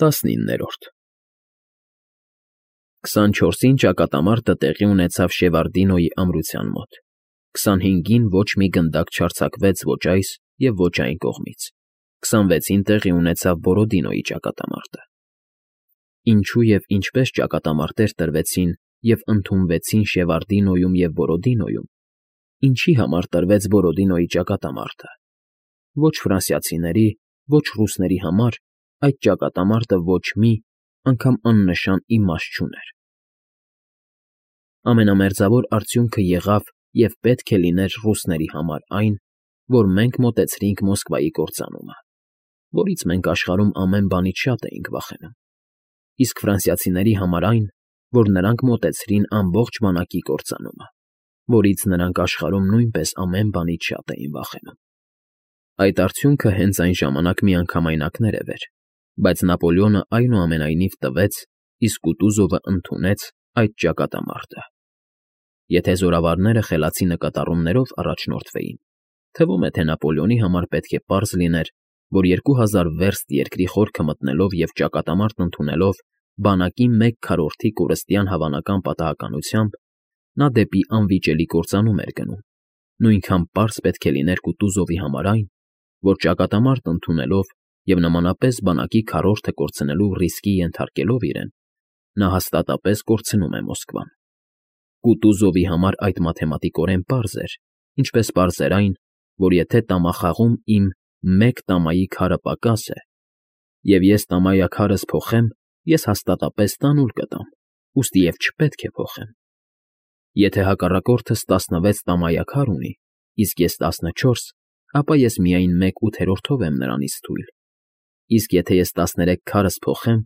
19-րդ 24-ին ճակատամարտը տեղի ունեցավ Շևարդինոյի ամրության մոտ, 25-ին ոչ մի գնդակ չարձակվեց ոչ այս և ոչ այն կողմից, 26-ին տեղի ունեցավ Բորոդինոյի ճակատամարտը։ Ինչու և ինչպես ճակատամարտեր տրվեցին և ընդունվեցին Շևարդինոյում և Բորոդինոյում, ինչի համար տրվեց Բորոդինոյի ճակատամարտը։ Ոչ ֆրանսիացիների, ոչ ռուսների համար այդ ճակատամարտը ոչ մի, անգամ աննշան իմաստ չուներ։ Ամենամերձավոր արդյունքը եղավ և պետք է լիներ ռուսների համար այն, որ մենք մոտեցրինք Մոսկվայի կործանումը, որից մենք աշխարհում ամեն բանից շատ էինք վախենում, իսկ ֆրանսիացիների համար այն, որ նրանք մոտեցրին ամբողջ բանակի կործանումը, որից նրանք աշխարհում նույնպես ամեն բանից շատ էին վախենում։ Այդ արդյունքը հենց այն ժամանակ միանգամայն ակներև էր, բայց Նապոլեոնը այնուամենայնիվ տվեց, իսկ Կուտուզովը ընդունեց այդ ճակատամարտը։ Եթե զորավարները խելացի նկատառումներով առաջնորդվեին, թվում է, թե Նապոլեոնի համար պետք է պարզ լիներ, որ 2000 վերստ երկրի խորքը մտնելով և ճակատամարտ ընդունելով բանակի 1/4 կորստյան հավանական պատահականությամբ, նա դեպի անվիճելի կործանում էր գնում, նույնքան պարզ պետք է լիներ Կուտուզովի համար այն, որ ճակատամարտ ընդունելով և նմանապես բանակի 1/4 կորցնելու ռիսկի ենթարկելով իրեն, նա հաստատապես կորցնում է Մոսկվան։ Կուտուզովի համար այդ մաթեմատիկորեն պարզ էր, ինչպես պարզ էր այն, որ եթե տամախաղում իմ 1 տամայի քարը պակաս է, և ես տամայաքարս փոխեմ, ես հաստատապես 10 կտամ, ուստի և չպետք է փոխեմ։ Եթե հակառակորդս 16 տամայաքար ունի, իսկ ես 14, ապա ես միայն 1/8 եմ նրանից թույլ, իսկ եթե ես 13 քարս փոխեմ,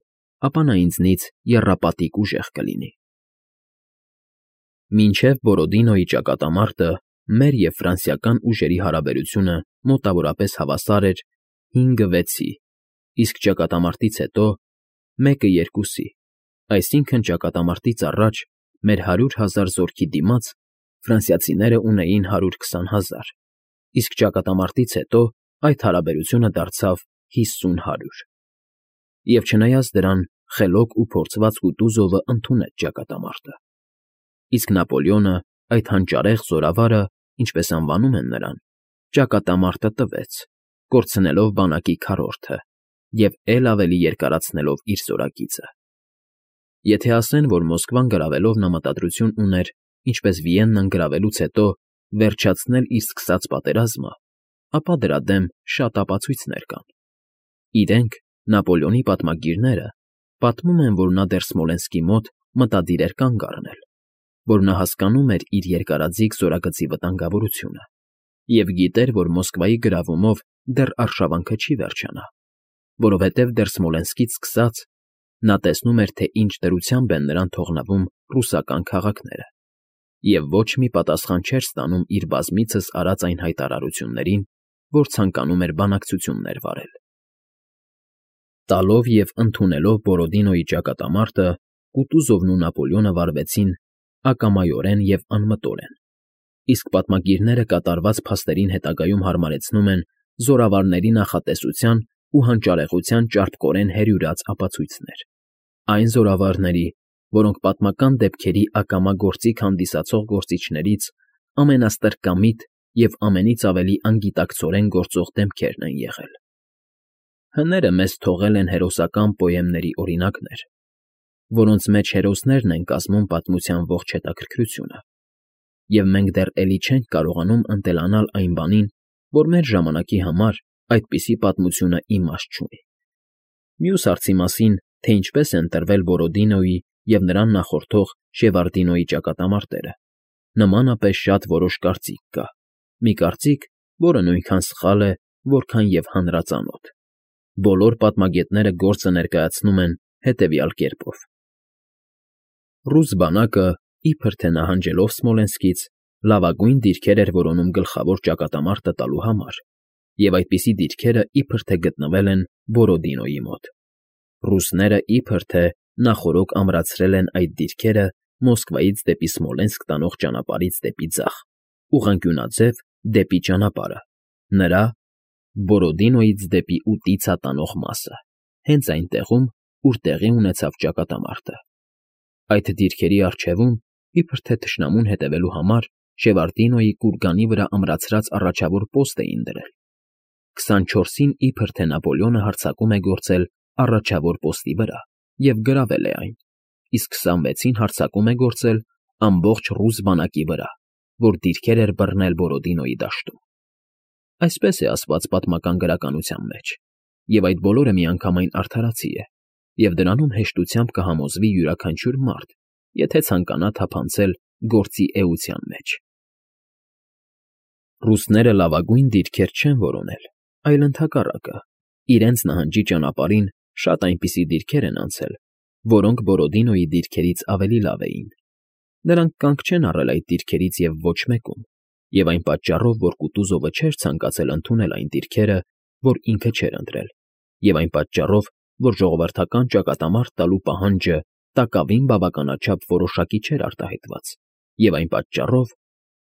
ապա նա ինձնից եռապատիկ ուժեղ կլինի։ Մինչև Բորոդինոյի ճակատամարտը մեր և ֆրանսիական ուժերի հարաբերությունը մոտավորապես հավասար էր 5-6-ի, իսկ ճակատամարտից հետո 1-2-ի, այսինքն ճակատամարտից առաջ մեր 100,000 զորքի դիմաց ֆրանսիացիները ունեին 120,000, իսկ ճակատամարտից հետո այդ հարաբերությունը դարձավ 50-100։ Եվ չնայած դրան, խելոք ու փորձված Կուտուզովը ընդունեց ճակատամարտը, իսկ Նապոլեոնը, այդ հանճարեղ զորավարը, ինչպես անվանում են նրան, ճակատամարտը տվեց, կորցնելով բանակի 1/4 և էլ ավելի երկարացնելով իր զորագիծը։ Եթե ասեն, որ Մոսկվան գրավելով նա մտադրություն ուներ, ինչպես Վիեննան գրավելուց հետո, վերջացնել իր սկսած պատերազմը, ապա դրա դեմ շատ ապացույցներ կան։ Իրենք, Նապոլեոնի պատմագիրները, պատմում են, որ նա դեռ Սմոլենսկի մոտ մտադիր էր կանգ առնել, որ նա հասկանում էր իր երկարաձիգ զորագծի վտանգավորությունը և գիտեր, որ Մոսկվայի գրավումով դեռ արշավանքը չի վերջանա, որովհետև դեռ Սմոլենսկից սկսած նա տեսնում էր, թե ինչ դրությամբ են նրան թողնվում ռուսական քաղաքները, և ոչ մի պատասխան չէր ստանում իր բազմիցս արած այն հայտարարություններին, որ ցանկանում էր բանակցություններ վարել։ Տալով և ընդունելով Բորոդինոյի ճակատամարտը, Կուտուզովն ու Նապոլեոնը վարվեցին ակամայորեն և անմտորեն, իսկ պատմագիրները կատարված փաստերին հետագայում հարմարեցնում են զորավարների նախատեսության ու հանճարեղության ճարպկորեն հերյուրած ապացույցներ, այն զորավարների, որոնք պատմական դեպքերի ակամա գործիք հանդիսացող գործիչներից ամենաստրկամիտ և ամենից ավելի անգիտակցորեն գործող դեմքերն են եղել։ Հները մեզ թողել են հերոսական պոեմների օրինակներ, որոնց մեջ հերոսներն են կազմում պատմության ողջ հետաքրքրությունը, և մենք դեռ էլի չենք կարողանում ընտելանալ այն բանին, որ մեր ժամանակի համար այդպիսի պատմությունը իմաստ չունի։ Մյուս հարցի մասին, թե ինչպես են տրվել Բորոդինոյի և նրան նախորդող Շևարդինոյի ճակատամարտերը, նմանապես շատ որոշ կարծիք կա, մի կարծիք, որը նույնքան սխալ է, որքան և հանրածանոթ։ Բոլոր պատմագետները գործը ներկայացնում են հետևյալ կերպով. Ռուս բանակը, իբր թե նահանջելով Սմոլենսկից, լավագույն դիրքեր էր որոնում գլխավոր ճակատամարտը տալու համար, և այդպիսի դիրքերը իբր թե գտնվել են Բորոդինոյի մոտ։ Ռուսները իբր թե նախօրոք ամրացրել են այդ դիրքերը Մոսկվայից դեպի Սմոլենսկ տանող ճանապարհից դեպի ձախ, ուղղանկյունաձև դեպի ճանապարհը, նրա՝ Բորոդինոյից դեպի Ուտիցա տանող մասը, հենց այն տեղում, ուր տեղի ունեցավ ճակատամարտը։ Այդ դիրքերի առջևում, իբր թե թշնամուն հետևելու համար, Շևարդինոյի կուրգանի վրա ամրացրած առաջավոր պոստ էին դրել։ 24-ին իբր թե Նապոլեոնը հարձակում է գործել առաջավոր պոստի վրա և գրավել է այն, իսկ 26-ին հարձակում է գործել ամբողջ ռուս բանակի վրա, որ դիրքեր էր բռնել Բորոդինոյի դաշտում։ Այսպես է ասված պատմական գրականության մեջ, և այդ բոլորը միանգամայն արդարացի է, և դրանում հեշտությամբ կհամոզվի յուրաքանչյուր մարդ, եթե ցանկանա թափանցել գործի էության մեջ։ Ռուսները լավագույն դիրքեր չեն որոնել, այլ ընդհակառակը, իրենց նահանջի ճանապարհին շատ այնպիսի դիրքեր են անցել, որոնք Բորոդինոյի դիրքերից ավելի լավ էին։ Նրանք կանգ չեն առել այդ դիրքերից և ոչ մեկում, և այն պատճառով, որ Կուտուզովը չէր ցանկացել ընդունել այն դիրքերը, որ ինքը չէր ընտրել, և այն պատճառով, որ ժողովրդական ճակատամարտ տալու պահանջը տակավին բավականաչափ որոշակի չէր արտահայտված, և այն պատճառով,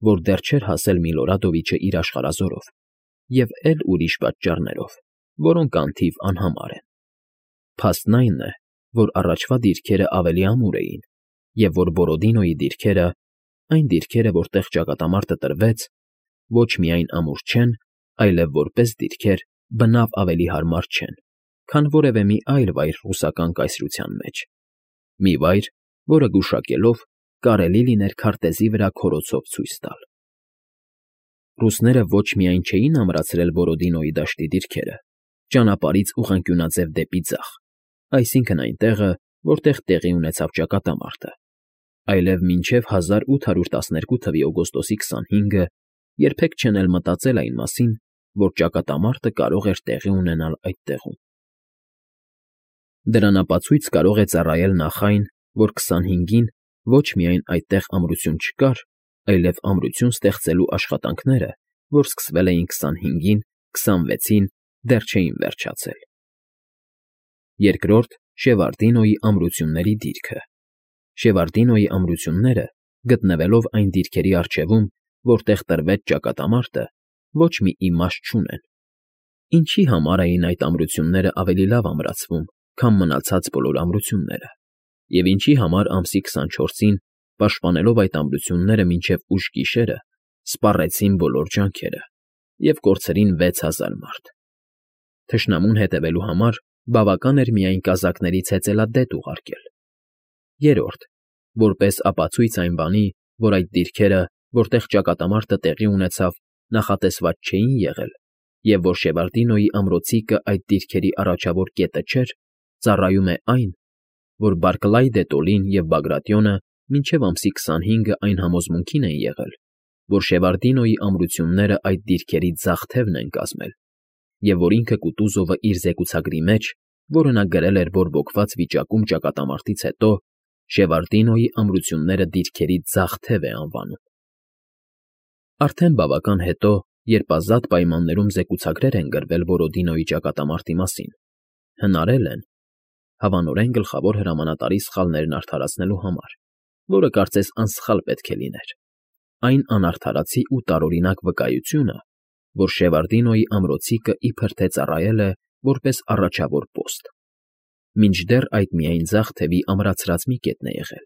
որ դեռ չէր հասել Միլորադովիչը իր աշխարհազորով, և էլ ուրիշ պատճառներով, որոնք անթիվ անհամար են։ Փաստն այն է, որ առաջվա դիրքերը ավելի ամուր էին, և որ Բորոդինոյի դիրքերը, այն դիրքերը, որտեղ ճակատամարտը տրվեց, ոչ միայն ամուր չեն, այլև որպես դիրքեր բնավ ավելի հարմար չեն, քան որևէ մի այլ վայր ռուսական կայսրության մեջ, մի վայր, որը գուշակելով կարելի լիներ քարտեզի վրա քորոցով ցույց տալ։ Ռուսները ոչ միայն չէին ամրացրել Բորոդինոյի դաշտի դիրքերը, ճանապարհից ուղղանկյունաձև դեպի ձախ, այսինքն այնտեղը, որտեղ տեղի ունեցավ ճակատամարտը, այլև մինչև 1812 թվականի օգոստոսի 25-ը երբեք չեն էլ մտածել այն մասին, որ ճակատամարտը կարող էր տեղի ունենալ այդտեղում։ Դրան ապացույց կարող է ծառայել նախ այն, որ 25-ին ոչ միայն այդտեղ ամրություն չկար, այլև ամրություն ստեղծելու աշխատանքները, որ սկսվել էին 25-ին, 26-ին, դեռ չէին վերջացել։ Երկրորդ՝ Շևարդինոյի ամրությունների դիրքը։ Շևարդինոյի ամրությունները, գտնվելով այն դիրքերի առջևում, որտեղ տրվեց ճակատամարտը, ոչ մի իմաստ չունեն։ Ինչի համար էին այդ ամրությունները ավելի լավ ամրացվում, քան մնացած բոլոր ամրությունները, և ինչի համար ամսի 24-ին, պաշտպանելով այդ ամրությունները մինչև ուշ գիշերը, սպառեցին բոլոր ջանքերը և կորցրին 6000 մարդ։ Թշնամուն հետևելու համար բավական էր միայն կազակներից հեծելադեպ ուղարկել։ Երրորդ, որպես ապացույց այն բանի, որ այդ դիրքերը, որտեղ ճակատամարտը տեղի ունեցավ, նախատեսված չէին եղել, և որ Շևարդինոյի ամրոցիկը այդ դիրքերի առաջավոր կետը չէր, ծառայում է այն, որ Բարկլայ դե Տոլին և Բագրատիոնը մինչև ամսի 25-ը այն համոզմունքին են եղել, որ Շևարդինոյի ամրությունները այդ դիրքերի ձախ թևն են կազմել, և որ ինքը Կուտուզովը իր զեկուցագրի մեջ, որը նա գրել էր բորբոքված վիճակում ճակատամարտից հետո, Շևարդինոյի ամրությունները դիրքերի ձախ թև է անվանում։ Արդեն բավական հետո, երբ ազատ պայմաններում զեկուցագրեր են գրվել Բորոդինոյի ճակատամարտի մասին, հնարել են, հավանորեն գլխավոր հրամանատարի սխալներն արդարացնելու համար, որը կարծես անսխալ պետք է լիներ, այն անարդարացի ու տարօրինակ վկայությունը, որ Շևարդինոյի ամրոցիկը իբր թե ծառայել է որպես առաջավոր պոստ, մինչդեռ այդ միայն ձախ թևի ամրացրած մի կետն է եղել,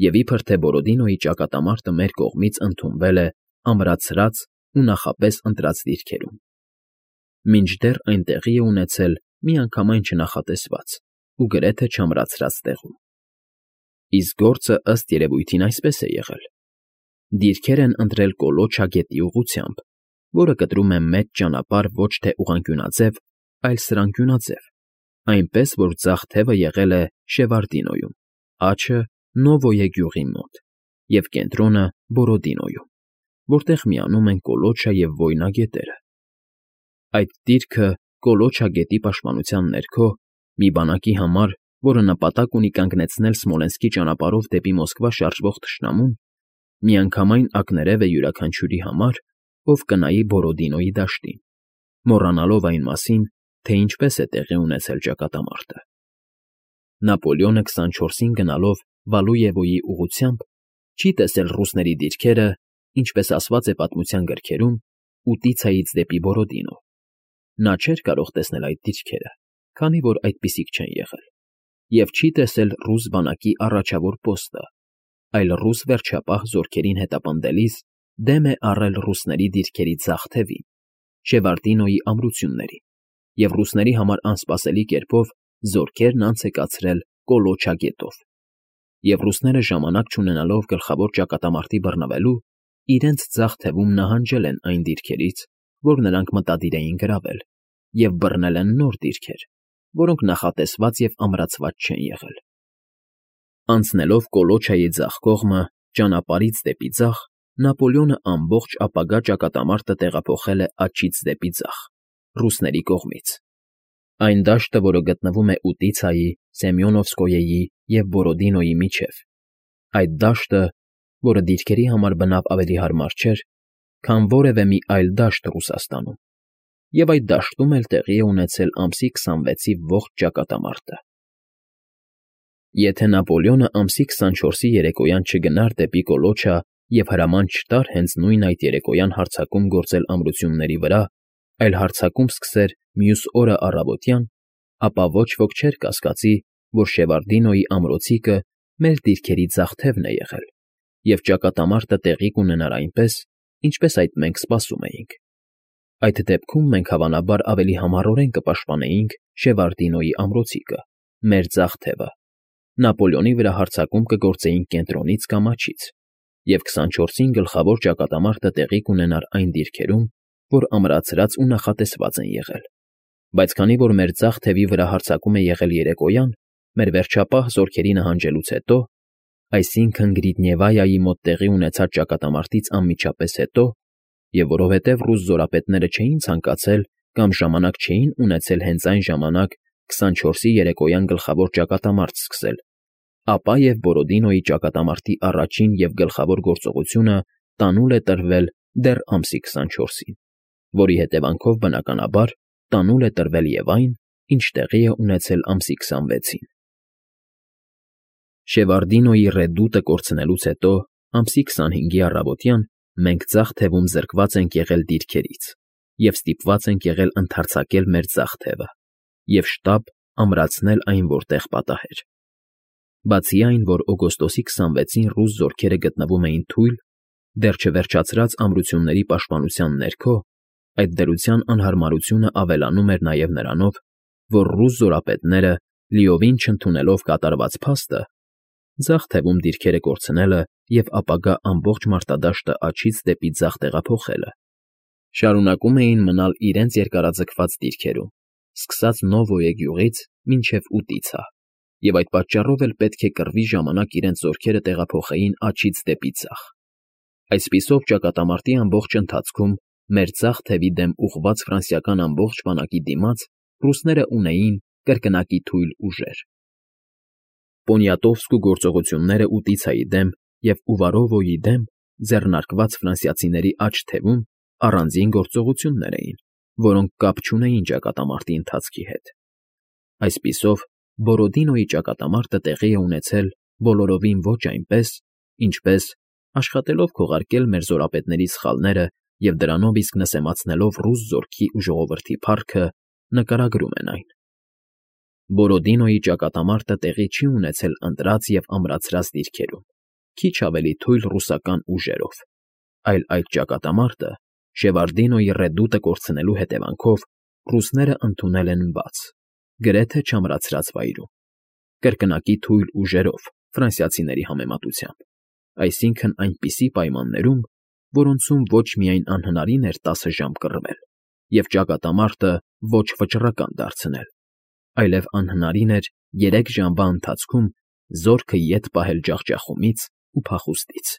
և իբր թե Բորոդինոյի ճակատամարտը մեր կողմից ընդունվել է ամրացրած ու նախապես ընտրած դիրքերում, մինչդեռ այն տեղի է ունեցել միանգամայն չնախատեսված ու գրեթե չամրացրած տեղում։ Իսկ գործը ըստ երևույթին այսպես է եղել. դիրքեր են ընտրել Կոլոչա գետի ուղղությամբ, որը կտրում է մեծ ճանապարհ ոչ թե ուղղանկյունաձև, այլ սրանկյունաձև, այնպես որ ձախ թևը եղել է Շևարդինոյում, աջը Նովոյե գյուղի մոտ և կենտրոնը Բորոդինոյում, որտեղ միանում են Կոլոչա և Վոյնա գետերը։ Այդ դիրքը Կոլոչա գետի պաշտպանության ներքո մի բանակի համար, որը նպատակ ունի կանգնեցնել Սմոլենսկի ճանապարհով դեպի Մոսկվա շարժվող թշնամուն, միանգամայն ակներև է յուրաքանչյուրի համար, ով կնայի Բորոդինոյի դաշտին, մոռանալով այն մասին, թե ինչպես է տեղի ունեցել ճակատամարտը։ Նապոլեոնը 24-ին գնալով Վալուևոյի ուղղությամբ չի տեսել ռուսների դիրքերը, ինչպես ասված է պատմության գրքերում, Ուտիցայից դեպի Բորոդինո։ Նա չէր կարող տեսնել այդ դիրքերը, քանի որ այդպիսիք չեն եղել։ և չի տեսել ռուս բանակի առաջավոր պոստը, այլ ռուս վերջապահ զորքերին հետապնդելիս դեմ է առել ռուսների դիրքերի ձախ թևին, Շևարդինոյի ամրություններին, և ռուսների համար անսպասելի կերպով զորքերն անց է կացրել Կոլոչա գետով, և ռուսները ժամանակ չունենալով գլխավոր ճակատամարտի բռնվելու, իրենց ձախ թևում նահանջել են այն դիրքերից, որ նրանք մտադիր էին գրավել, և բռնել են նոր դիրքեր, որոնք նախատեսված և ամրացված չեն եղել։ Անցնելով Կոլոչայի ձախ կողմը, ճանապարհից դեպի ձախ, Նապոլեոնը ամբողջ ապագա ճակատամարտը տեղափոխել է աջից դեպի ձախ, ռուսների կողմից։ Այն դաշտը, որը գտնվում է Ուտիցայի, Սեմյոնովսկոյեի և Բորոդինոյի միջև, այդ դաշտը, որը դիրքերի համար բնավ ավելի հարմար չէր, քան որևէ մի այլ դաշտ Ռուսաստանում, և այդ դաշտում էլ տեղի է ունեցել ամսի 26-ի ողջ ճակատամարտը։ Եթե Նապոլեոնը ամսի 24-ի երեկոյան չգնար դեպի Կոլոչա և հրաման չտար հենց նույն այդ երեկոյան հարձակում գործել ամրությունների վրա, այլ հարձակում սկսեր մյուս օրը առավոտյան, ապա ոչ ոք չէր կասկածի, որ Շևարդինոյի ամրոցիկը մեր դիրքերի ձախ թևն է եղել, և ճակատամարտը տեղի կունենար այնպես, ինչպես այդ մենք սպասում էինք։ Այդ դեպքում մենք հավանաբար ավելի համառորեն կպաշտպանեինք Շևարդինոյի ամրոցիկը, մեր ձախ թևը, Նապոլեոնի վրա հարձակում կգործեինք կենտրոնից կամ աջից, և 24-ին գլխավոր ճակատամարտը տեղի կունենար այն դիրքերում, որ ամրացրած ու նախատեսված են եղել։ Բայց քանի որ մեր ձախ թևի վրա հարձակում է եղել երեկոյան, մեր վերջապահ զորքերի նահանջելուց հետո, այսինքն Գրիդնևայայի մոտ տեղի ունեցած ճակատամարտից անմիջապես հետո, և որովհետև ռուս զորապետները չէին ցանկացել կամ ժամանակ չէին ունեցել հենց այն ժամանակ 24-ի երեկոյան գլխավոր ճակատամարտ սկսել, ապա և Բորոդինոյի ճակատամարտի առաջին և գլխավոր գործողությունը տանուլ է տրվել դեռ ամսի 24-ին, որի հետևանքով, բնականաբար, տանուլ է տրվել և այն, ինչ տեղի է ունեցել ամսի 26-ին։ Շևարդինոյի ռեդուտը կորցնելուց հետո, ամսի 25-ի առավոտյան մենք ձախ թևում զրկված ենք եղել դիրքերից և ստիպված ենք եղել ընդարձակել մեր ձախ թևը և շտապ ամրացնել այն որտեղ պատահեր։ Բացի այն, որ օգոստոսի 26-ին ռուս զորքերը գտնվում էին թույլ, դեռ չվերջացրած ամրությունների պաշտպանության ներքո, այդ դրության անհարմարությունը ավելանում էր նաև նրանով, որ ռուս զորապետները, լիովին չընդունելով կատարված փաստը, ձախ թևում դիրքերը կորցնելը և ապագա ամբողջ մարտադաշտը աջից դեպի ձախ տեղափոխելը, շարունակում էին մնալ իրենց երկարաձգված դիրքերում, սկսած Նովոյե գյուղից մինչև Ուտիցա, և այդ պատճառով էլ պետք է կռվի ժամանակ իրենց զորքերը տեղափոխեին աջից դեպի ձախ։ Այսպիսով ճակատամարտի ամբողջ ընթացքում մեր ձախ թևի դեմ ուղղված ֆրանսիական ամբողջ բանակի դիմաց ռուսները ունեին կրկնակի թույլ ուժեր։ Պոնիատովսկու գործողությունները Ուտիցայի դեմ և Ուվարովոյի դեմ ձեռնարկված ֆրանսիացիների աջ թևում առանձին գործողություններ էին, որոնք կապ չունեին ճակատամարտի ընթացքի հետ։ Այսպիսով, Բորոդինոյի ճակատամարտը տեղի է ունեցել բոլորովին ոչ այնպես, ինչպես, աշխատելով քողարկել մեր զորապետների սխալները և դրանով իսկ նսեմացնելով ռուս զորքի ու ժողովրդի փառքը, նկարագրում են այն։ Բորոդինոյի ճակատամարտը տեղի չի ունեցել ընտրած և ամրացրած դիրքերում, քիչ ավելի թույլ ռուսական ուժերով, այլ այդ ճակատամարտը Շևարդինոյի ռեդուտը կորցնելու հետևանքով ռուսները ընդունել են բաց, գրեթե չամրացրած վայրում, կրկնակի թույլ ուժերով ֆրանսիացիների համեմատությամբ, այսինքն այնպիսի պայմաններում, որոնցում ոչ միայն անհնարին էր 10 ժամ կռվել և ճակատամարտը ոչ վճռական դարձնել, այլև անհնարին էր 3 ժամվա ընթացքում զորքը ետ պահել ջախջախումից ու փախուստից։